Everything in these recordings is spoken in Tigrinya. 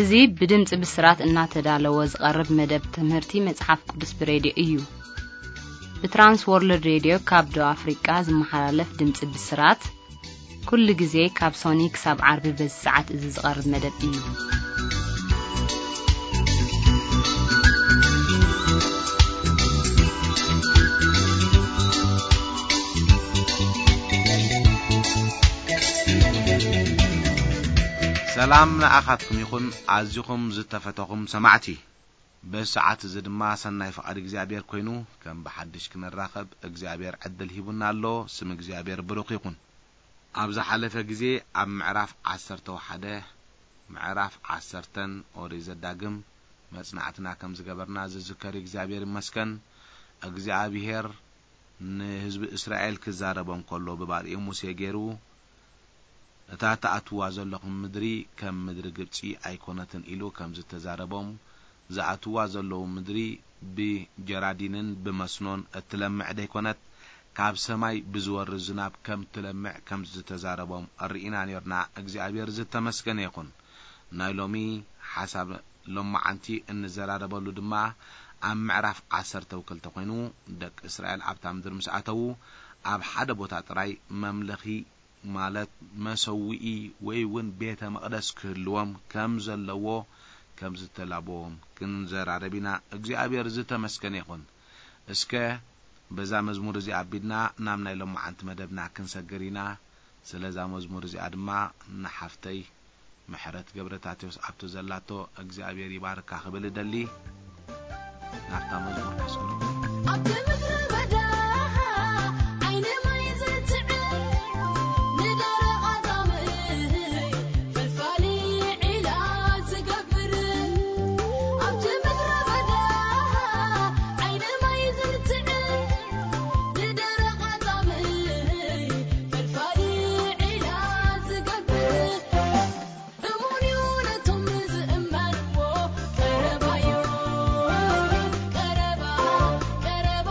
እዚ ብድምጺ ብስራት እናተዳለወ ዝቐርብ መደብ ትምህርቲ መጽሓፍ ቅዱስ ብሬድዮ እዩ። ብትራንስ ወርልድ ሬድዮ ካብ ደቡብ ኣፍሪቃ ዝመሓላለፍ ድምጺ ብስራት፣ ኩሉ ግዜ ካብ ሶኒ ክሳብ ዓርቢ በዚ ሰዓት እዚ ዝቐርብ መደብ እዩ። ሰላም ንኣኻትኩም ይኹን፣ ኣዚኹም ዝተፈተኹም ሰማዕቲ። በዚ ሰዓት እዚ ድማ ሰናይ ፍቓድ እግዚኣብሔር ኮይኑ፣ ከም ብሓድሽ ክንራኸብ እግዚኣብሔር ዕድል ሂቡና ኣሎ። ስም እግዚኣብሔር ብሩኽ ይኹን። ኣብ ዝሓለፈ ግዜ ኣብ ምዕራፍ ዓሰርተ ሓደ፣ ምዕራፍ ዓሰርተን ኦሪት ዘዳግም መጽናዕትና ከም ዝገበርና ዝዝከር እዩ። እግዚኣብሔር ይመስገን። እግዚኣብሔር ንህዝቢ እስራኤል ክዛረቦም ከሎ ብባርኡ ሙሴ ገይሩ፣ "እታ ትኣትዋ ዘለኹም ምድሪ ከም ምድሪ ግብጺ ኣይኮነትን" ኢሉ ከም ዝተዛረቦም፣ ዝኣትዋ ዘለዉ ምድሪ ብጀራዲንን ብመስኖን እትለምዕ ደይኮነት፣ ካብ ሰማይ ብዝወርድ ዝናብ ከም ትለምዕ ከም ዝተዛረቦም ርኢና ኔርና። እግዚኣብሔር ዝተመስገነ ይኹን። ናይ ሎሚ ሓሳብ ሎማዓንቲ እንዘራረበሉ ድማ ኣብ ምዕራፍ ዓሰርተ ክልተ ኮይኑ፣ ደቂ እስራኤል ኣብታ ምድሪ ምስ ኣተዉ፣ ኣብ ሓደ ቦታ ጥራይ መምለኺ፣ ማለት መሰውኢ ወይ እውን ቤተ መቕደስ ክህልዎም ከም ዘለዎ ከም ዝተላበዎም ክንዘራረብ ኢና። እግዚኣብሔር ዝተመስገነ ይኹን። እስከ በዛ መዝሙር እዚኣ ኣቢልና ናብ ናይ ሎማዓንቲ መደብና ክንሰግር ኢና። ስለዛ መዝሙር እዚኣ ድማ ንሓፍተይ ምሕረት ገብረታቴዎስ ኣብቲ ዘላቶ እግዚኣብሔር ይባርካ ክብል እደሊ። ናብታ መዝሙር ከስግሮ። ኣብቲ ምድረ በዳ ዓይኒ ማይ ዘትዕብ፣ ንደረቕ ኣጻምእ ፈልፋሊ ዒላ ዝገብር። ኣብቲ ምድረ በዳ ዓይኒ ማይ ዘትዕብ፣ ንደረቕ ኣጻምእ ፈልፋሊ ዒላ ዝገብር። እሙን እዩ ነቶም ዝእመንዎ። ቀረባ እዩ፣ ቀረባ፣ ቀረባ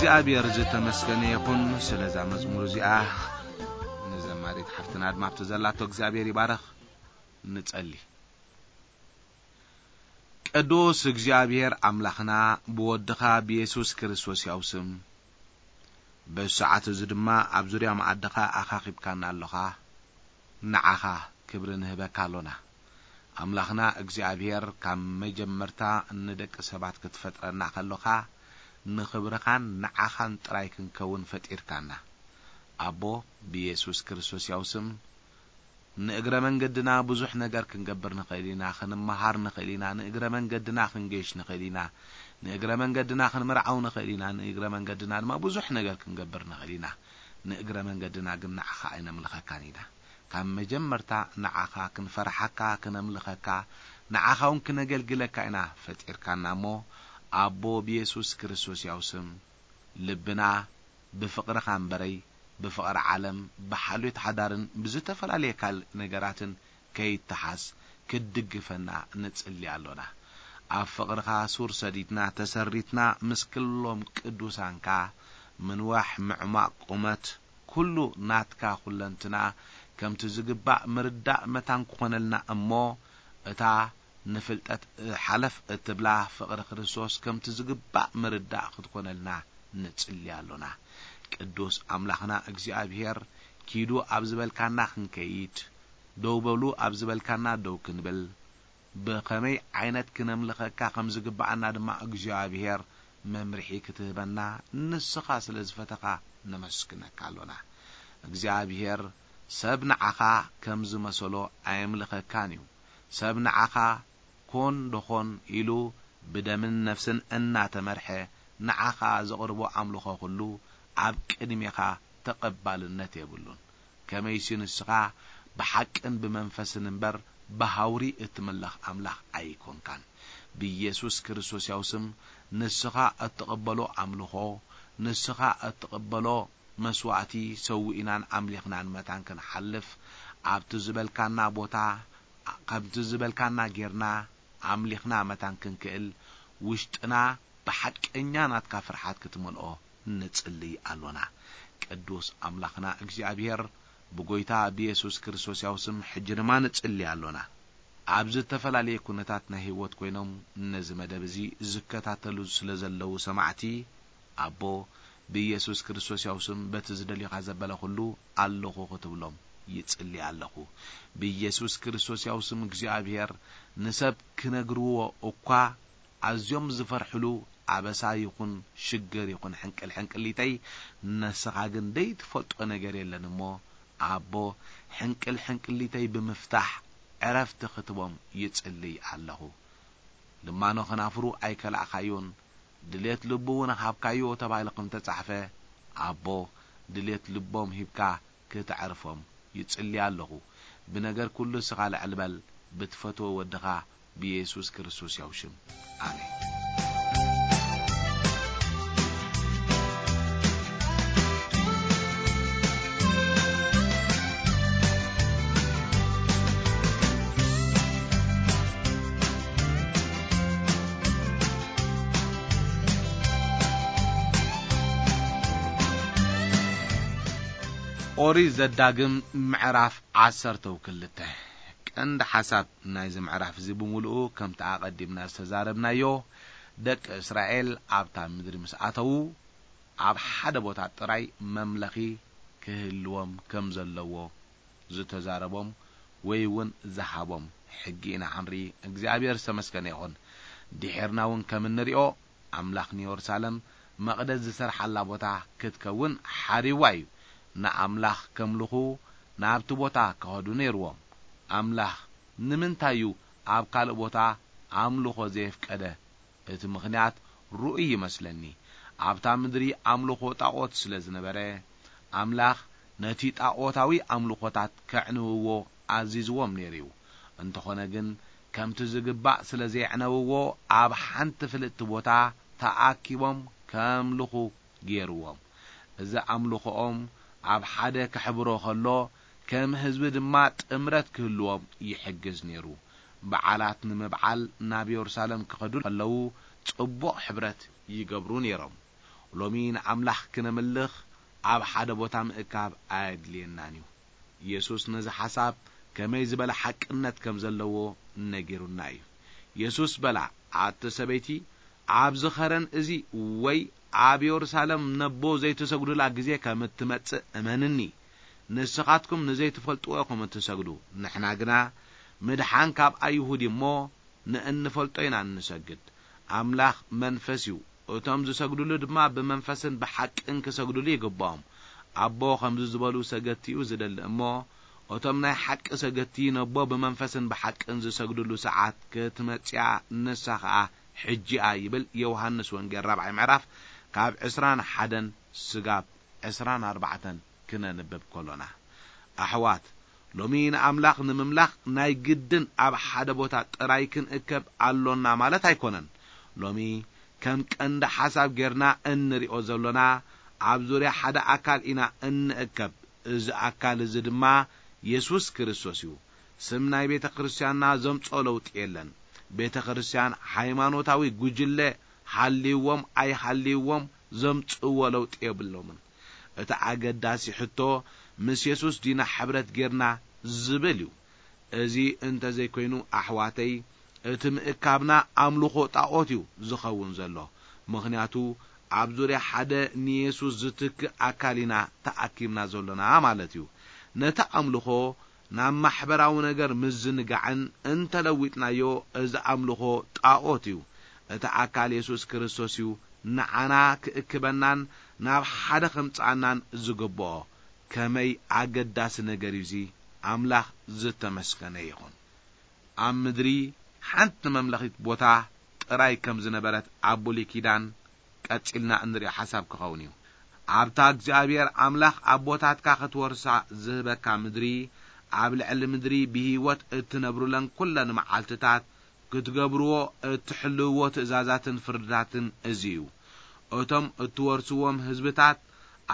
እግዚኣብሔር ዝተመስገነ ይኹን ስለዛ መዝሙር እዚኣ። ንዘማሪት ሓፍትና ድማ ኣብቲ ዘላቶ እግዚኣብሔር ይባረኽ። ንጸሊ። ቅዱስ እግዚኣብሔር ኣምላኽና፣ ብወድኻ ብየሱስ ክርስቶስ ያው ስም፣ በዚ ሰዓት እዚ ድማ ኣብ ዙርያ መኣድኻ ኣኻኺብካና ኣሎኻ። ንዓኻ ክብሪ ንህበካ ኣሎና። ኣምላኽና እግዚኣብሔር፣ ካብ መጀመርታ ንደቂ ሰባት ክትፈጥረና ከሎኻ፣ ንኽብርኻን ንዓኻን ጥራይ ክንከውን ፈጢርካና። ኣቦ፣ ብየሱስ ክርስቶስ ያው ስም፣ ንእግረ መንገድና ብዙሕ ነገር ክንገብር ንኽእል ኢና፣ ክንመሃር ንኽእል ኢና፣ ንእግረ መንገድና ክንገይሽ ንኽእል ኢና፣ ንእግረ መንገድና ክንምርዓው ንኽእል ኢና፣ ንእግረ መንገድና ድማ ብዙሕ ነገር ክንገብር ንኽእል ኢና። ንእግረ መንገድና ግን ንዓኻ ኣይነምልኸካን ኢና። ካብ መጀመርታ ንዓኻ ክንፈርሓካ፣ ክነምልኸካ፣ ንዓኻ እውን ክነገልግለካ ኢና ፈጢርካና እሞ፣ ኣቦ ብየሱስ ክርስቶስ ያው ስም፣ ልብና ብፍቕርኻ እምበረይ፣ ብፍቕሪ ዓለም፣ ብሓልዮት ሓዳርን ብዝተፈላለየ ካልእ ነገራትን ከይተሓዝ ክትድግፈና ንጽሊ ኣሎና። ኣብ ፍቕርኻ ሱር ሰዲድና፣ ተሰሪትና፣ ምስ ክሎም ቅዱሳንካ፣ ምንዋሕ፣ ምዕማቕ፣ ቁመት፣ ኩሉ ናትካ ኩለንትና ከምቲ ዝግባእ ምርዳእ መታን ክኾነልና እሞ፣ እታ ንፍልጠት ሓለፍ እትብላ ፍቕሪ ክርስቶስ ከምቲ ዝግባእ ምርዳእ ክትኮነልና ንጽሊ ኣሎና። ቅዱስ ኣምላኽና እግዚኣብሔር፣ ኪዱ ኣብ ዝበልካና ክንከይድ፣ ደው በሉ ኣብ ዝበልካና ደው ክንብል፣ ብኸመይ ዓይነት ክነምልኸካ ከም ዝግብኣና ድማ እግዚኣብሔር መምርሒ ክትህበና ንስኻ ስለ ዝፈተኻ ነመስግነካ ኣሎና። እግዚኣብሔር ሰብ ንዓኻ ከም ዝመሰሎ ኣየምልኸካን እዩ። ሰብ ንዓኻ ኮን ዶኾን ኢሉ ብደምን ነፍስን እናተመርሐ ንዓኻ ዘቕርቦ ኣምልኾ ኩሉ ኣብ ቅድሜኻ ተቐባልነት የብሉን። ከመይሲ ንስኻ ብሓቅን ብመንፈስን እምበር ብሃውሪ እትምለኽ ኣምላኽ ኣይኮንካን። ብኢየሱስ ክርስቶስ ያው ስም ንስኻ እትቕበሎ ኣምልኾ፣ ንስኻ እትቕበሎ መስዋእቲ ሰዊእናን ኣምሊኽናን መታን ክንሓልፍ፣ ኣብቲ ዝበልካና ቦታ፣ ከምቲ ዝበልካና ጌርና ኣምሊኽና መታን ክንክእል፣ ውሽጥና ብሓቀኛ ናትካ ፍርሓት ክትመልኦ ንጽልይ ኣሎና። ቅዱስ ኣምላኽና እግዚኣብሔር፣ ብጎይታ ብየሱስ ክርስቶስ ያው ስም ሕጂ ድማ ንጽልይ ኣሎና። ኣብ ዝተፈላለየ ኩነታት ናይ ህይወት ኮይኖም ነዚ መደብ እዚ ዝከታተሉ ስለ ዘለዉ ሰማዕቲ፣ ኣቦ፣ ብኢየሱስ ክርስቶስ ያው ስም በቲ ዝደልዩኻ ዘበለ ኩሉ ኣለኹ ክትብሎም ይጽሊ ኣለኹ። ብኢየሱስ ክርስቶስ ያው ስም እግዚኣብሔር ንሰብ ክነግርዎ እኳ ኣዝዮም ዝፈርሕሉ ኣበሳ ይኹን ሽግር ይኹን ሕንቅል ሕንቅሊተይ ንስኻ ግን ደይትፈልጦ ነገር የለን እሞ ኣቦ ሕንቅል ሕንቅሊተይ ብምፍታሕ ዕረፍቲ ክትቦም ይጽልይ ኣለኹ። ልማኖ ከናፍሩ ኣይከላእኻዮን፣ ድሌት ልቡ እውን ሃብካዮ ተባሂሉ ከም ተጻሕፈ፣ ኣቦ ድሌት ልቦም ሂብካ ክተዕርፎም ይጽሊ ኣለኹ። ብነገር ኩሉ እስኻ ልዕል በል፣ ብትፈትዎ ወድኻ ብየሱስ ክርስቶስ ያው ሽም። ኣሜን። ኦሪት ዘዳግም ምዕራፍ ዓሰርተ ክልተ። ቀንዲ ሓሳብ ናይዚ ምዕራፍ እዚ ብምሉኡ ከምቲ ኣቐዲምና ዝተዛረብናዮ፣ ደቂ እስራኤል ኣብታ ምድሪ ምስ ኣተዉ፣ ኣብ ሓደ ቦታ ጥራይ መምለኺ ክህልዎም ከም ዘለዎ ዝተዛረቦም ወይ እውን ዝሃቦም ሕጊ ኢና ክንርኢ። እግዚኣብሔር ዝተመስገነ ይኹን። ድሒርና እውን ከም እንሪኦ፣ ኣምላኽ ንየሩሳሌም መቕደስ ዝሰርሓላ ቦታ ክትከውን ሓሪዋ እዩ። ንኣምላኽ ከምልኹ ናብቲ ቦታ ክኸዱ ነይርዎም። ኣምላኽ ንምንታይ እዩ ኣብ ካልእ ቦታ ኣምልኾ ዘየፍቀደ? እቲ ምኽንያት ርኡይ ይመስለኒ። ኣብታ ምድሪ ኣምልኾ ጣዖት ስለ ዝነበረ፣ ኣምላኽ ነቲ ጣዖታዊ ኣምልኾታት ከዕንውዎ ኣዚዝዎም ነይሩ እዩ። እንተኾነ ግን፣ ከምቲ ዝግባእ ስለ ዘየዕነውዎ፣ ኣብ ሓንቲ ፍልጥቲ ቦታ ተኣኪቦም ከምልኹ ገይርዎም። እዚ ኣምልኾኦም ኣብ ሓደ ከሕብሮ ከሎ፣ ከም ህዝቢ ድማ ጥምረት ክህልዎም ይሕግዝ ነይሩ። በዓላት ንምብዓል ናብ የሩሳሌም ክኸዱ ከለዉ፣ ጽቡቕ ሕብረት ይገብሩ ነይሮም። ሎሚ ንኣምላኽ ክነምልኽ ኣብ ሓደ ቦታ ምእካብ ኣየድልየናን እዩ። ኢየሱስ ነዚ ሓሳብ ከመይ ዝበለ ሓቅነት ከም ዘለዎ ነጊሩና እዩ። ኢየሱስ በላ፣ ኣቲ ሰበይቲ፣ ኣብዚ ኸረን እዚ ወይ ኣብ የሩሳሌም ነቦ ዘይትሰግዱላ ግዜ ከም እትመጽእ እመንኒ። ንስኻትኩም ንዘይትፈልጥዎ ኢኹም እትሰግዱ። ንሕና ግና ምድሓን ካብ ኣይሁድ እዩ እሞ ንእንፈልጦ ኢና እንሰግድ። ኣምላኽ መንፈስ እዩ። እቶም ዝሰግዱሉ ድማ ብመንፈስን ብሓቅን ክሰግዱሉ ይግብኦም። ኣቦ ከምዚ ዝበሉ ሰገድቲ እዩ ዝደሊ እሞ፣ እቶም ናይ ሓቂ ሰገድቲ ነቦ ብመንፈስን ብሓቅን ዝሰግዱሉ ሰዓት ክትመጽያ ንሳ ኸኣ ሕጂኣ ይብል ዮሃንስ ወንጌል ራብዓይ ምዕራፍ ካብ ዕስራን ሓደን ስጋብ ዕስራን ኣርባዕተን ክነንብብ ከሎና። ኣሕዋት፣ ሎሚ ንኣምላኽ ንምምላኽ ናይ ግድን ኣብ ሓደ ቦታ ጥራይ ክንእከብ ኣሎና ማለት ኣይኮነን። ሎሚ ከም ቀንዲ ሓሳብ ጌርና እንሪኦ ዘሎና ኣብ ዙርያ ሓደ ኣካል ኢና እንእከብ። እዚ ኣካል እዚ ድማ የሱስ ክርስቶስ እዩ። ስም ናይ ቤተ ክርስቲያንና ዘምጽኦ ለውጢ የለን። ቤተ ክርስቲያን ሃይማኖታዊ ጉጅለ ሃልይዎም ኣይሃልይዎም ዘምጽእዎ ለውጢ የብሎምን። እቲ ኣገዳሲ ሕቶ ምስ የሱስ ዲና ሕብረት ጌርና ዝብል እዩ። እዚ እንተ ዘይኮይኑ ኣሕዋተይ፣ እቲ ምእካብና ኣምልኾ ጣኦት እዩ ዝኸውን ዘሎ። ምኽንያቱ ኣብ ዙርያ ሓደ ንየሱስ ዝትክእ ኣካል ኢና ተኣኪብና ዘሎና ማለት እዩ። ነቲ ኣምልኾ ናብ ማሕበራዊ ነገር ምዝንጋዕን እንተለዊጥናዮ እዚ ኣምልኾ ጣኦት እዩ። እቲ ኣካል የሱስ ክርስቶስ እዩ ንዓና ክእክበናን ናብ ሓደ ከምጽኣናን ዝግብኦ። ከመይ ኣገዳሲ ነገር እዩ እዚ! ኣምላኽ ዝተመስገነ ይኹን። ኣብ ምድሪ ሓንቲ መምለኺት ቦታ ጥራይ ከም ዝነበረት ኣብ ብሉይ ኪዳን ቀጺልና እንሪኦ ሓሳብ ክኸውን እዩ። ኣብታ እግዚኣብሔር ኣምላኽ ኣቦታትካ ክትወርሳ ዝህበካ ምድሪ፣ ኣብ ልዕሊ ምድሪ ብህይወት እትነብሩለን ኩለን መዓልትታት ክትገብርዎ እትሕልውዎ ትእዛዛትን ፍርድታትን እዚ እዩ። እቶም እትወርስዎም ህዝብታት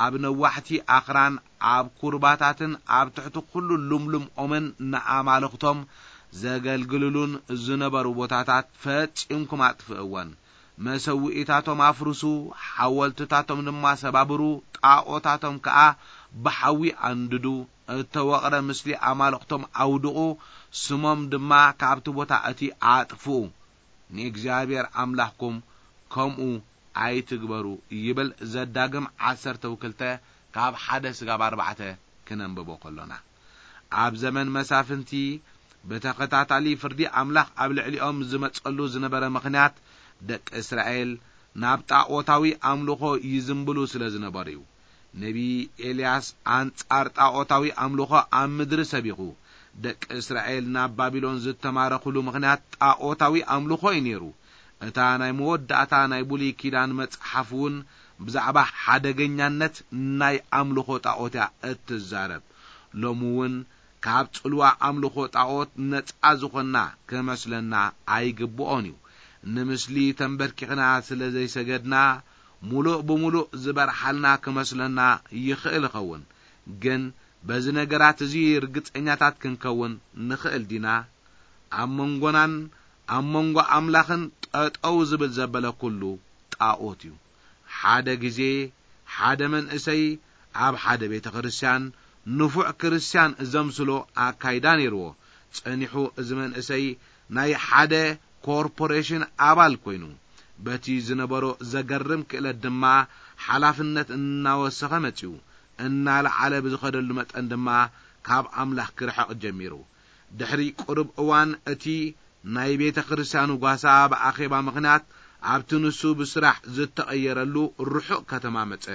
ኣብ ነዋሕቲ ኣኽራን፣ ኣብ ኩርባታትን ኣብ ትሕቲ ኩሉ ልምሉም ኦምን ንኣማልኽቶም ዘገልግልሉን ዝነበሩ ቦታታት ፈጺምኩም ኣጥፍእወን። መሰውኢታቶም ኣፍርሱ፣ ሓወልትታቶም ድማ ሰባብሩ፣ ጣኦታቶም ከኣ ብሓዊ ኣንድዱ፣ እተወቕረ ምስሊ ኣማልኽቶም ኣውድቑ፣ ስሞም ድማ ካብቲ ቦታ እቲ ኣጥፍኡ። ንእግዚኣብሔር ኣምላኽኩም ከምኡ ኣይትግበሩ ይብል ዘዳግም ዓሰርተ ክልተ ካብ ሓደ ስጋብ ኣርባዕተ ክነንብቦ ከሎና። ኣብ ዘመን መሳፍንቲ ብተኸታታሊ ፍርዲ ኣምላኽ ኣብ ልዕሊኦም ዝመጸሉ ዝነበረ ምኽንያት ደቂ እስራኤል ናብ ጣኦታዊ ኣምልኾ ይዝንብሉ ስለ ዝነበሩ እዩ። ነቢ ኤልያስ ኣንጻር ጣኦታዊ ኣምልኾ ኣብ ምድሪ ሰቢኹ፣ ደቂ እስራኤል ናብ ባቢሎን ዝተማረኹሉ ምኽንያት ጣኦታዊ ኣምልኾ እዩ ነይሩ። እታ ናይ መወዳእታ ናይ ብሉይ ኪዳን መጽሓፍ እውን ብዛዕባ ሓደገኛነት ናይ ኣምልኾ ጣኦት እያ እትዛረብ። ሎሚ እውን ካብ ጽልዋ ኣምልኾ ጣኦት ነጻ ዝኾንና ክመስለና ኣይግብኦን እዩ። ንምስሊ ተንበርኪኽና ስለ ዘይሰገድና፣ ሙሉእ ብሙሉእ ዝበርሓልና ክመስለና ይኽእል ይኸውን። ግን በዚ ነገራት እዚ ርግጸኛታት ክንከውን ንኽእል ዲና? ኣብ መንጎናን ኣብ መንጎ ኣምላኽን ጠጠው ዝብል ዘበለ ኩሉ ጣኦት እዩ። ሓደ ግዜ ሓደ መንእሰይ ኣብ ሓደ ቤተ ክርስቲያን ንፉዕ ክርስቲያን ዘምስሎ ኣካይዳ ነይርዎ። ጸኒሑ እዚ መንእሰይ ናይ ሓደ ኮርፖሬሽን ኣባል ኮይኑ፣ በቲ ዝነበሮ ዘገርም ክእለት ድማ ሓላፍነት እናወሰኸ መጺኡ። እናለዓለ ብዝኸደሉ መጠን ድማ ካብ ኣምላኽ ክርሕቕ ጀሚሩ። ድሕሪ ቁሩብ እዋን እቲ ናይ ቤተ ክርስቲያኑ ጓሳ ብኣኼባ ምኽንያት ኣብቲ ንሱ ብስራሕ ዝተቐየረሉ ርሑቕ ከተማ መጸ።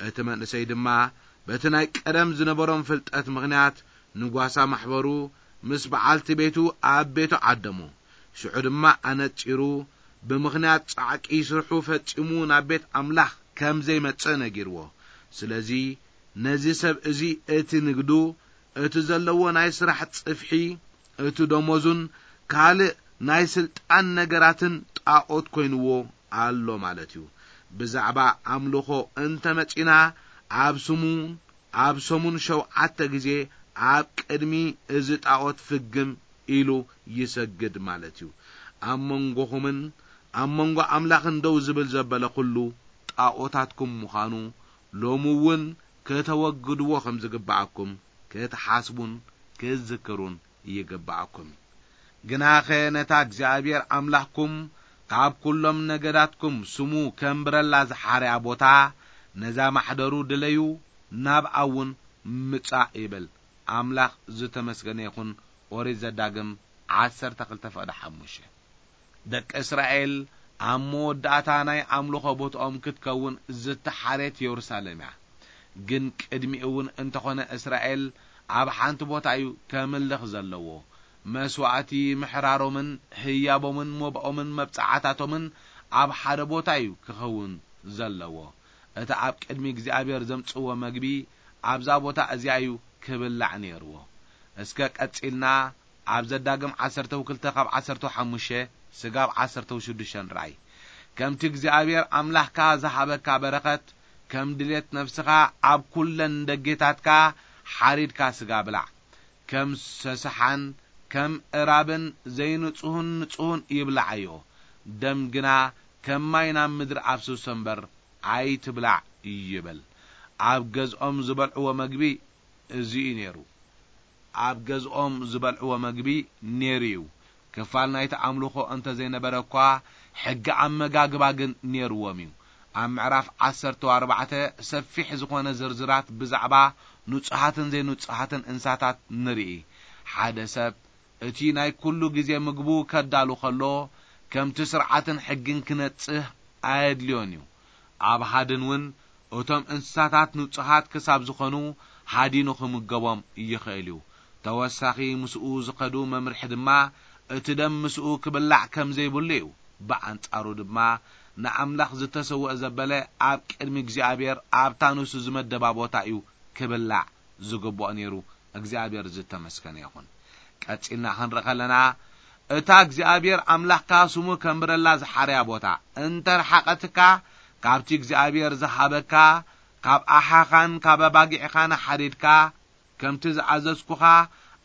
እቲ መንእሰይ ድማ በቲ ናይ ቀደም ዝነበሮም ፍልጠት ምኽንያት ንጓሳ ማሕበሩ ምስ በዓልቲ ቤቱ ኣብ ቤቱ ዓደሞ። ሽዑ ድማ ኣነጺሩ ብምኽንያት ጻዕቂ ስርሑ ፈጺሙ ናብ ቤት ኣምላኽ ከም ዘይመጽእ ነጊርዎ። ስለዚ ነዚ ሰብ እዚ እቲ ንግዱ፣ እቲ ዘለዎ ናይ ስራሕ ጽፍሒ፣ እቲ ደሞዙን ካልእ ናይ ስልጣን ነገራትን ጣኦት ኮይንዎ ኣሎ ማለት እዩ። ብዛዕባ ኣምልኾ እንተመጺና፣ ኣብ ስሙ ኣብ ሰሙን ሸውዓተ ግዜ ኣብ ቅድሚ እዚ ጣኦት ፍግም ኢሉ ይሰግድ ማለት እዩ። ኣብ መንጎኹምን ኣብ መንጎ ኣምላኽን ደው ዝብል ዘበለ ኩሉ ጣኦታትኩም ምዃኑ ሎሚ እውን ከተወግድዎ ከም ዝግብኣኩም ክትሓስቡን ክትዝክሩን ይግብኣኩም። ግናኸ ነታ እግዚኣብሔር ኣምላኽኩም ካብ ኵሎም ነገዳትኩም ስሙ ከንብረላ ዝሓርያ ቦታ፣ ነዛ ማሕደሩ ድለዩ፣ ናብኣ እውን ምጻእ ይብል። ኣምላኽ ዝተመስገነ ይኹን። ኦሪት ዘዳግም ዓሰርተ ክልተ ፍቕዲ ሓሙሽተ። ደቂ እስራኤል ኣብ መወዳእታ ናይ ኣምልኾ ቦትኦም ክትከውን ዝተሓርየት የሩሳሌም እያ። ግን ቅድሚኡ እውን እንተኾነ እስራኤል ኣብ ሓንቲ ቦታ እዩ ከምልኽ ዘለዎ። መስዋእቲ ምሕራሮምን ህያቦምን መባኦምን መብጽዓታቶምን ኣብ ሓደ ቦታ እዩ ክኸውን ዘለዎ። እቲ ኣብ ቅድሚ እግዚኣብሔር ዘምጽእዎ መግቢ ኣብዛ ቦታ እዚኣ እዩ ክብላዕ ነይርዎ። እስከ ቀጺልና ኣብ ዘዳግም ዓሰርተ ክልተ ካብ ዓሰርተ ሓሙሽተ ስጋብ ዓሰርተ ሽዱሽተ ንርኣይ። ከምቲ እግዚኣብሔር ኣምላኽካ ዝሃበካ በረኸት፣ ከም ድሌት ነፍስኻ ኣብ ኩለን ደጌታትካ ሓሪድካ ስጋ ብላዕ። ከም ሰሰሓን ከም እራብን ዘይንጹሁን ንጹሁን ይብላዓዮ። ደም ግና ከም ማይ ናብ ምድሪ ኣፍስሶ እምበር ኣይትብላዕ ይብል። ኣብ ገዝኦም ዝበልዕዎ መግቢ እዚ እዩ ነይሩ። ኣብ ገዝኦም ዝበልዕዎ መግቢ ነይሩ እዩ። ክፋል ናይቲ ኣምልኾ እንተ ዘይነበረ እኳ፣ ሕጊ ኣመጋግባ ግን ነይርዎም እዩ። ኣብ ምዕራፍ ዓሰርተ ኣርባዕተ ሰፊሕ ዝኾነ ዝርዝራት ብዛዕባ ንጹሃትን ዘይንጹሃትን እንስሳታት ንርኢ። ሓደ ሰብ እቲ ናይ ኩሉ ግዜ ምግቡ ከዳሉ ከሎ፣ ከምቲ ስርዓትን ሕግን ክነጽህ ኣየድልዮን እዩ። ኣብ ሃድን እውን እቶም እንስሳታት ንጹሃት ክሳብ ዝኾኑ ሃዲኑ ክምገቦም ይኽእል እዩ። ተወሳኺ ምስኡ ዝኸዱ መምርሒ ድማ እቲ ደም ምስኡ ክብላዕ ከም ዘይብሉ እዩ። ብኣንጻሩ ድማ ንኣምላኽ ዝተሰውአ ዘበለ ኣብ ቅድሚ እግዚኣብሔር ኣብታ ንሱ ዝመደባ ቦታ እዩ ክብላዕ ዝግብኦ ነይሩ። እግዚኣብሔር ዝተመስገነ ይኹን። ቀጺልና ክንርኢ ከለና፣ እታ እግዚኣብሔር ኣምላኽካ ስሙ ከንብረላ ዝሓርያ ቦታ እንተ ረሓቐትካ፣ ካብቲ እግዚኣብሔር ዝሃበካ ካብ ኣሓኻን ካብ ኣባጊዕኻን ሓዲድካ፣ ከምቲ ዝኣዘዝኩኻ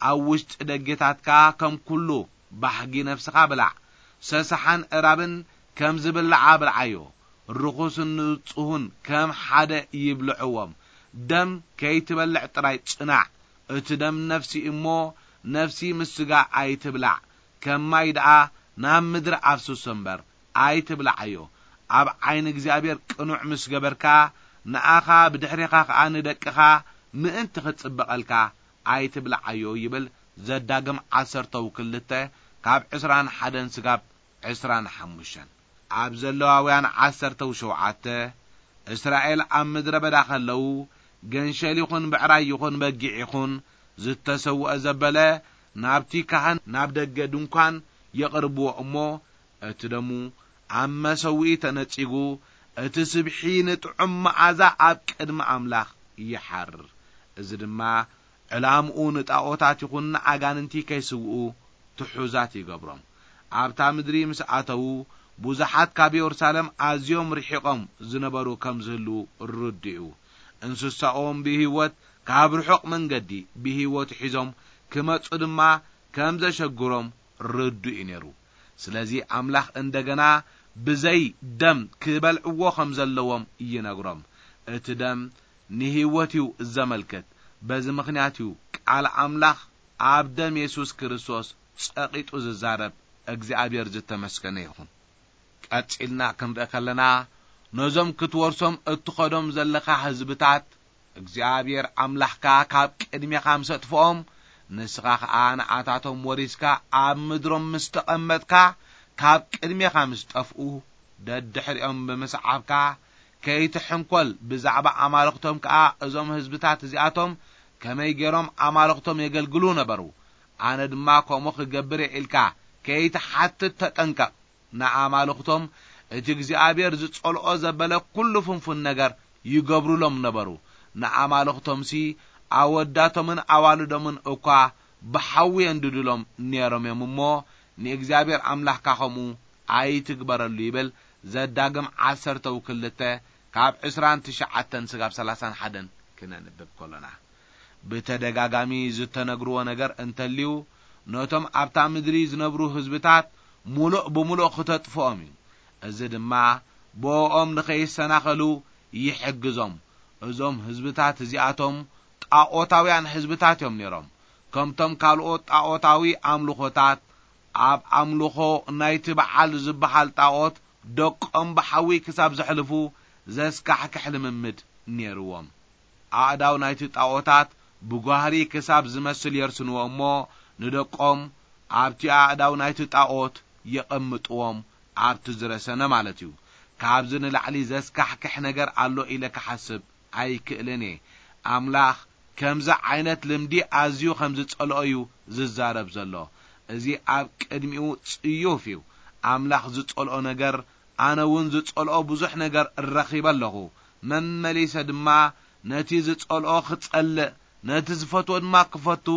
ኣብ ውሽጢ ደጌታትካ ከም ኩሉ ባህጊ ነፍስኻ ብላዕ። ሰሰሓን እራብን ከም ዝብላዓ ብልዓዮ። ርኹስን ንጹሁን ከም ሓደ ይብልዕዎም። ደም ከይትበልዕ ጥራይ ጽናዕ። እቲ ደም ነፍሲ እሞ፣ ነፍሲ ምስ ስጋ ኣይትብላዕ። ከም ማይ ደኣ ናብ ምድሪ ኣፍስሶ እምበር፣ ኣይትብልዓዮ። ኣብ ዓይኒ እግዚኣብሔር ቅኑዕ ምስ ገበርካ፣ ንኣኻ ብድሕሬኻ ኸኣ ንደቅኻ ምእንቲ ኽጽበቐልካ ኣይትብልዓዮ ይብል። ዘዳግም ዓሰርተው ክልተ ካብ ዕስራን ሓደን ስጋብ ዕስራን ሓሙሽተን። ኣብ ዘለዋውያን ዓሰርተው ሸውዓተ፣ እስራኤል ኣብ ምድረ በዳ ኸለዉ፣ ገንሸል ይኹን ብዕራይ ይኹን በጊዕ ይኹን ዝተሰውአ ዘበለ ናብቲ ካህን ናብ ደገ ድንኳን የቕርብዎ እሞ፣ እቲ ደሙ ኣብ መሰውኢ ተነጺጉ፣ እቲ ስብሒ ንጥዑም መዓዛ ኣብ ቅድሚ ኣምላኽ ይሓርር። እዚ ድማ ዕላምኡ ንጣኦታት ይኹን ንኣጋንንቲ ከይስውኡ ትሑዛት ይገብሮም። ኣብታ ምድሪ ምስ ኣተዉ፣ ብዙሓት ካብ የሩሳሌም ኣዝዮም ርሒቖም ዝነበሩ ከም ዝህልዉ ርዱእ እዩ። እንስሳኦም ብህይወት ካብ ርሑቕ መንገዲ ብህይወት ሒዞም ክመጹ ድማ ከም ዘሸግሮም ርዱእ እዩ ነይሩ። ስለዚ ኣምላኽ እንደገና ብዘይ ደም ክበልዕዎ ከም ዘለዎም ይነግሮም። እቲ ደም ንህይወት እዩ ዘመልክት። በዚ ምኽንያት እዩ ቃል ኣምላኽ ኣብ ደም የሱስ ክርስቶስ ጸቒጡ ዝዛረብ። እግዚኣብሔር ዝተመስገነ ይኹን። ቀጺልና ክንርኢ ከለና፣ ነዞም ክትወርሶም እትኸዶም ዘለኻ ህዝብታት፣ እግዚኣብሔር ኣምላኽካ ካብ ቅድሜኻ ምስ ኣጥፍኦም፣ ንስኻ ኸኣ ንኣታቶም ወሪስካ ኣብ ምድሮም ምስ ተቐመጥካ፣ ካብ ቅድሜኻ ምስ ጠፍኡ፣ ደድሕሪኦም ብምስዓብካ፣ ከይትሕንኮል፣ ብዛዕባ ኣማልኽቶም ከኣ፣ እዞም ህዝብታት እዚኣቶም ከመይ ገይሮም ኣማልኽቶም የገልግሉ ነበሩ፣ ኣነ ድማ ከምኡ ክገብር እየ ኢልካ ከይትሓትት ተጠንቀቕ። ንኣማልኽቶም እቲ እግዚኣብሔር ዝጸልኦ ዘበለ ኩሉ ፍንፉን ነገር ይገብሩሎም ነበሩ። ንኣማልኽቶምሲ ኣወዳቶምን ኣዋልዶምን እኳ ብሓዊ የንድዱሎም ነይሮም እዮም እሞ፣ ንእግዚኣብሔር ኣምላኽካ ኸምኡ ኣይትግበረሉ ይብል። ዘዳግም ዓሰርተው ክልተ ካብ ዕስራን ትሽዓተን ስጋብ ሰላሳን ሓደን ክነንብብ ከሎና፣ ብተደጋጋሚ ዝተነግርዎ ነገር እንተልዩ፣ ነቶም ኣብታ ምድሪ ዝነብሩ ህዝብታት ምሉእ ብምሉእ ክተጥፍኦም እዩ። እዚ ድማ ብኦም ንኸይሰናኸሉ ይሕግዞም። እዞም ህዝብታት እዚኣቶም ጣዖታውያን ህዝብታት እዮም ነይሮም። ከምቶም ካልኦት ጣዖታዊ ኣምልኾታት፣ ኣብ ኣምልኾ ናይቲ በዓል ዝበሃል ጣዖት ደቆም ብሓዊ ክሳብ ዘሕልፉ ዘስካሕክሕ ልምምድ ነይርዎም። ኣእዳው ናይቲ ጣዖታት ብጓህሪ ክሳብ ዝመስል የርስንዎ እሞ፣ ንደቆም ኣብቲ ኣእዳው ናይቲ ጣዖት የቐምጥዎም፣ ኣብቲ ዝረሰነ ማለት እዩ። ካብዚ ንላዕሊ ዘስካሕክሕ ነገር ኣሎ ኢለ ክሓስብ ኣይክእልን እየ። ኣምላኽ ከምዚ ዓይነት ልምዲ ኣዝዩ ከም ዝጸልኦ እዩ ዝዛረብ ዘሎ። እዚ ኣብ ቅድሚኡ ጽዩፍ እዩ። ኣምላኽ ዝጸልኦ ነገር፣ ኣነ እውን ዝጸልኦ ብዙሕ ነገር ረኺበ ኣለኹ። መመሊሰ ድማ ነቲ ዝጸልኦ ክጸልእ፣ ነቲ ዝፈትዎ ድማ ክፈቱ፣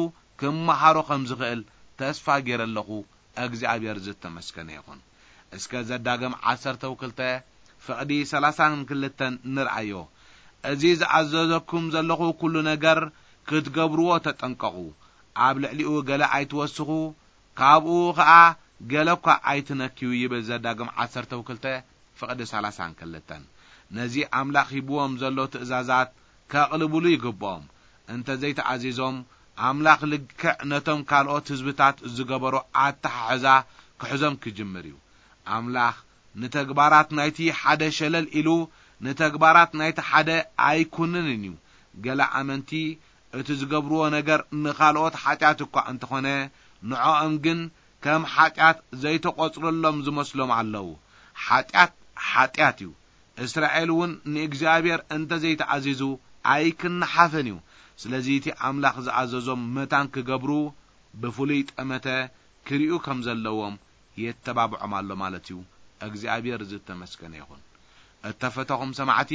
ክመሃሮ ከም ዝኽእል ተስፋ ገይረ ኣለኹ። እግዚኣብሔር ዝተመስገነ ይኹን። እስከ ዘዳግም ዓሰርተ ክልተ ፍቕዲ ሰላሳን ክልተን ንርኣዮ። እዚ ዝኣዘዘኩም ዘለኹ ኩሉ ነገር ክትገብርዎ ተጠንቀቑ። ኣብ ልዕሊኡ ገለ ኣይትወስኹ፣ ካብኡ ኸኣ ገለ እኳ ኣይትነክዩ ይብል ዘዳግም ዓሰርተ ክልተ ፍቕዲ ሰላሳን ክልተን። ነዚ ኣምላኽ ሂብዎም ዘሎ ትእዛዛት ከቕልብሉ ይግብኦም። እንተ ዘይተኣዚዞም፣ ኣምላኽ ልክዕ ነቶም ካልኦት ህዝብታት ዝገበሮ ኣተሓሕዛ ክሕዞም ክጅምር እዩ። ኣምላኽ ንተግባራት ናይቲ ሓደ ሸለል ኢሉ፣ ንተግባራት ናይቲ ሓደ ኣይኩንንን እዩ። ገለ ኣመንቲ እቲ ዝገብርዎ ነገር ንኻልኦት ሓጢኣት እኳ እንተኾነ፣ ንዕኦም ግን ከም ሓጢኣት ዘይተቖጽረሎም ዝመስሎም ኣለዉ። ሓጢኣት፣ ሓጢኣት እዩ። እስራኤል እውን ንእግዚኣብሔር እንተ ዘይተኣዚዙ ኣይክነሓፍን እዩ። ስለዚ እቲ ኣምላኽ ዝኣዘዞም መታን ክገብሩ ብፍሉይ ጠመተ ክርእዩ ከም ዘለዎም የተባብዖም ኣሎ ማለት እዩ። እግዚኣብሔር ዝተመስገነ ይኹን። እተፈተኹም ሰማዕቲ፣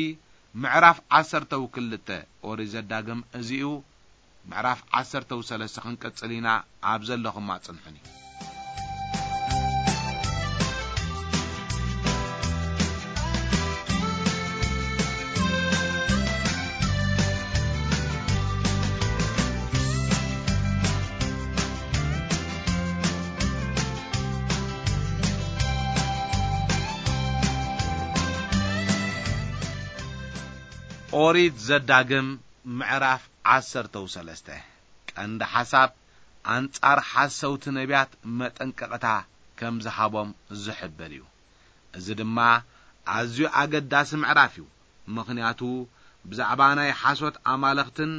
ምዕራፍ ዓሰርተው ክልተ ኦሪት ዘዳግም እዚ እዩ። ምዕራፍ ዓሰርተው ሰለስተ ክንቅጽል ኢና። ኣብ ዘለኹም ኣጽንሑኒ። ኦሪት ዘዳግም ምዕራፍ ዓሰርተው ሰለስተ። ቀንዲ ሓሳብ ኣንጻር ሓሰውቲ ነቢያት መጠንቀቕታ ከም ዝሃቦም ዝሕብር እዩ። እዚ ድማ ኣዝዩ ኣገዳሲ ምዕራፍ እዩ። ምኽንያቱ ብዛዕባ ናይ ሓሶት ኣማልኽትን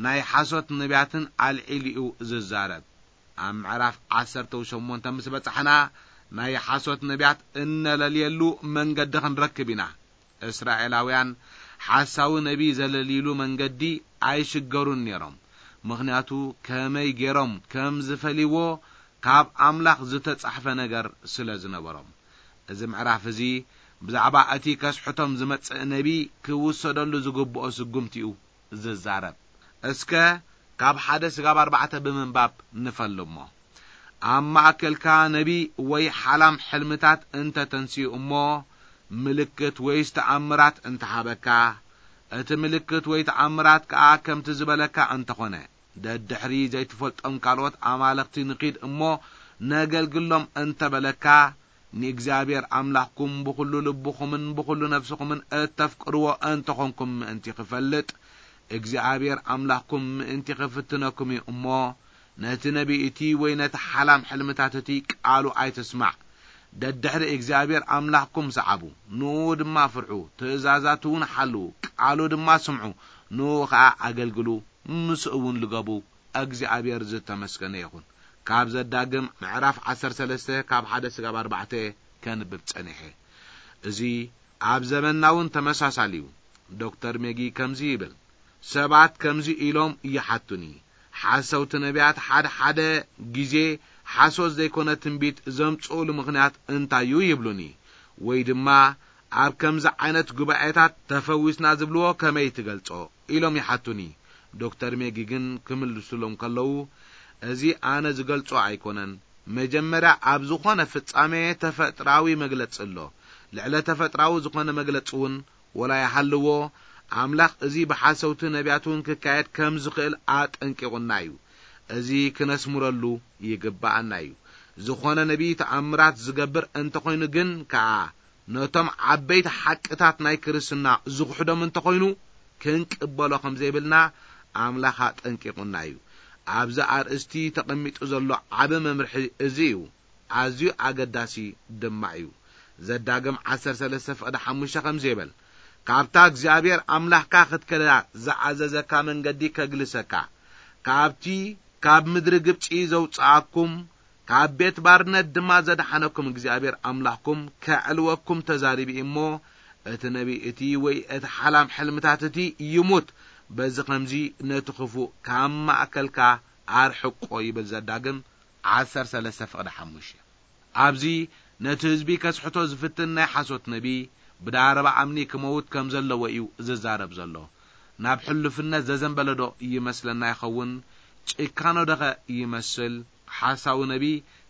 ናይ ሓሶት ነቢያትን ኣልዒሉ እዩ ዝዛረብ። ኣብ ምዕራፍ ዓሰርተው ሸሞንተ ምስ በጻሕና፣ ናይ ሓሶት ነቢያት እነለልየሉ መንገዲ ክንረክብ ኢና። እስራኤላውያን ሓሳዊ ነቢ ዘለልይሉ መንገዲ ኣይሽገሩን ነይሮም። ምኽንያቱ ከመይ ገይሮም ከም ዝፈልይዎ ካብ ኣምላኽ ዝተጻሕፈ ነገር ስለ ዝነበሮም። እዚ ምዕራፍ እዚ ብዛዕባ እቲ ከስሕቶም ዝመጽእ ነቢ ክውሰደሉ ዝግብኦ ስጉምቲ እዩ ዝዛረብ። እስከ ካብ ሓደ ስጋብ ኣርባዕተ ብምንባብ ንፈልሞ። ኣብ ማእከልካ ነቢ ወይ ሓላም ሕልምታት እንተ ተንስኡ እሞ፣ ምልክት ወይስ ተኣምራት እንተሃበካ፣ እቲ ምልክት ወይ ተኣምራት ከኣ ከምቲ ዝበለካ እንተኾነ፣ ደድሕሪ ዘይትፈልጦም ካልኦት ኣማልኽቲ ንኺድ እሞ፣ ነገልግሎም እንተበለካ፣ ንእግዚኣብሔር ኣምላኽኩም ብኹሉ ልብኹምን ብኹሉ ነፍስኹምን እተፍቅርዎ እንተኾንኩም ምእንቲ ክፈልጥ፣ እግዚኣብሔር ኣምላኽኩም ምእንቲ ክፍትነኩም እዩ እሞ፣ ነቲ ነቢይ እቲ ወይ ነቲ ሓላም ሕልምታት እቲ ቃሉ ኣይትስማዕ። ደድሕሪ እግዚኣብሔር ኣምላኽኩም ሰዓቡ፣ ንኡ ድማ ፍርሑ፣ ትእዛዛቱ እውን ሓልዉ፣ ቃሉ ድማ ስምዑ፣ ንኡ ኸኣ ኣገልግሉ፣ ምስኡ እውን ልገቡ። እግዚኣብሔር ዝተመስገነ ይኹን። ካብ ዘዳግም ምዕራፍ ዓሰርተ ሰለስተ ካብ ሓደ ስጋብ ኣርባዕተ ከንብብ ጸኒሐ። እዚ ኣብ ዘመንና እውን ተመሳሳሊ እዩ። ዶክተር ሜጊ ከምዚ ይብል፣ ሰባት ከምዚ ኢሎም ይሓቱኒ፣ ሓሰውቲ ነቢያት ሓደ ሓደ ግዜ ሓሶት ዘይኮነ ትንቢት ዘምጽኡሉ ምኽንያት እንታይ እዩ ይብሉኒ። ወይ ድማ ኣብ ከምዚ ዓይነት ጉባኤታት ተፈዊስና ዝብልዎ ከመይ ትገልጾ ኢሎም ይሓቱኒ። ዶክተር ሜጊ ግን ክምልሱሎም ከለዉ፣ እዚ ኣነ ዝገልጾ ኣይኮነን። መጀመርያ ኣብ ዝኾነ ፍጻሜ ተፈጥራዊ መግለጺ ኣሎ። ልዕለ ተፈጥራዊ ዝኾነ መግለጺ እውን ወላ ይሃልዎ፣ ኣምላኽ እዚ ብሓሰውቲ ነቢያት እውን ክካየድ ከም ዝኽእል ኣጠንቂቑና እዩ። እዚ ክነስምረሉ ይግብኣና እዩ። ዝኾነ ነቢይ ተኣምራት ዝገብር እንተኾይኑ ግን ከኣ ነቶም ዓበይቲ ሓቅታት ናይ ክርስትና ዝኽሕዶም እንተኾይኑ፣ ክንቅበሎ ከም ዘይብልና ኣምላኽ ኣጠንቂቑና እዩ። ኣብዚ ኣርእስቲ ተቐሚጡ ዘሎ ዓቢ መምርሒ እዚ እዩ። ኣዝዩ ኣገዳሲ ድማ እዩ። ዘዳግም ዓሰርተ ሰለስተ ፍቕዲ ሓሙሽተ ከምዚ ይብል፣ "ካብታ እግዚኣብሔር ኣምላኽካ ክትከዳ ዝኣዘዘካ መንገዲ ከግልሰካ፣ ካብቲ ካብ ምድሪ ግብጺ ዘውጽኣኩም፣ ካብ ቤት ባርነት ድማ ዘድሓነኩም እግዚኣብሔር ኣምላኽኩም ከዕልወኩም ተዛሪቡ እዩ እሞ፣ እቲ ነቢይ እቲ ወይ እቲ ሓላም ሕልምታት እቲ ይሙት፣ በዚ ኸምዚ ነቲ ኽፉእ ካብ ማእከልካ ኣርሕቆ" ይብል ዘዳግም ዓሰርተ ሰለስተ ፍቕዲ ሓሙሽተ። ኣብዚ ነቲ ህዝቢ ከስሕቶ ዝፍትን ናይ ሓሶት ነቢ ብዳረባ ኣምኒ ክመውት ከም ዘለዎ እዩ ዝዛረብ ዘሎ። ናብ ሕሉፍነት ዘዘንበለዶ ይመስለና ይኸውን? ጭካኖ ደኸ ይመስል? ሓሳዊ ነቢ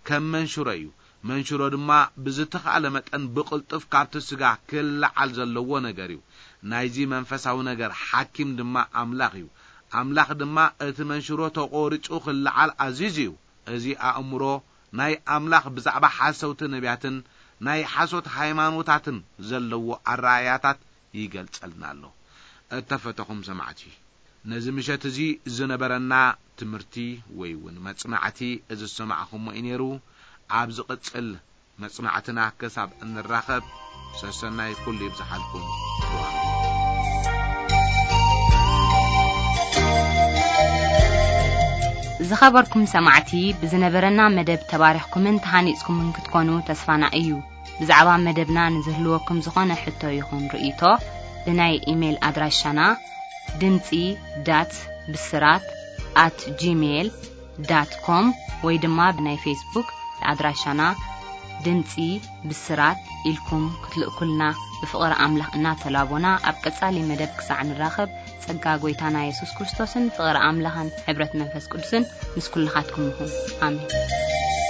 ከም መንሽሮ እዩ። መንሽሮ ድማ ብዝተኻእለ መጠን ብቕልጡፍ ካብቲ ስጋ ክለዓል ዘለዎ ነገር እዩ። ናይዚ መንፈሳዊ ነገር ሓኪም ድማ ኣምላኽ እዩ። ኣምላኽ ድማ እቲ መንሽሮ ተቖሪጹ ክለዓል ኣዚዙ እዩ። እዚ ኣእምሮ ናይ ኣምላኽ ብዛዕባ ሓሰውቲ ነቢያትን ናይ ሓሶት ሃይማኖታትን ዘለዎ ኣረኣእያታት ይገልጸልና ኣሎ። እተፈተኹም ሰማዕቲ፣ ነዚ ምሸት እዚ ዝነበረና ትምህርቲ ወይ እውን መጽናዕቲ እዚ ዝሰማዕኹሞ እዩ ነይሩ። ኣብ ዝቕጽል መጽናዕትና ክሳብ እንራኸብ፣ ሰሰናይ ኩሉ ይብዝሓልኩም። ዝኸበርኩም ሰማዕቲ፣ ብዝነበረና መደብ ተባሪኽኩምን ተሃኒጽኩምን ክትኮኑ ተስፋና እዩ። ብዛዕባ መደብና ንዝህልወኩም ዝኾነ ሕቶ ይኹን ርእይቶ፣ ብናይ ኢሜይል ኣድራሻና ድምጺ ዳት ብስራት ኣት ጂሜይል ዳት ኮም ወይ ድማ ብናይ ፌስቡክ ኣድራሻና ድምጺ ብስራት ኢልኩም ክትልእኩልና ብፍቕሪ ኣምላኽ እናተላቦና፣ ኣብ ቀጻሊ መደብ ክሳዕ ንራኸብ፣ ጸጋ ጐይታና የሱስ ክርስቶስን ፍቕሪ ኣምላኽን ሕብረት መንፈስ ቅዱስን ምስ ኩልኻትኩም ይኹን። ኣሜን።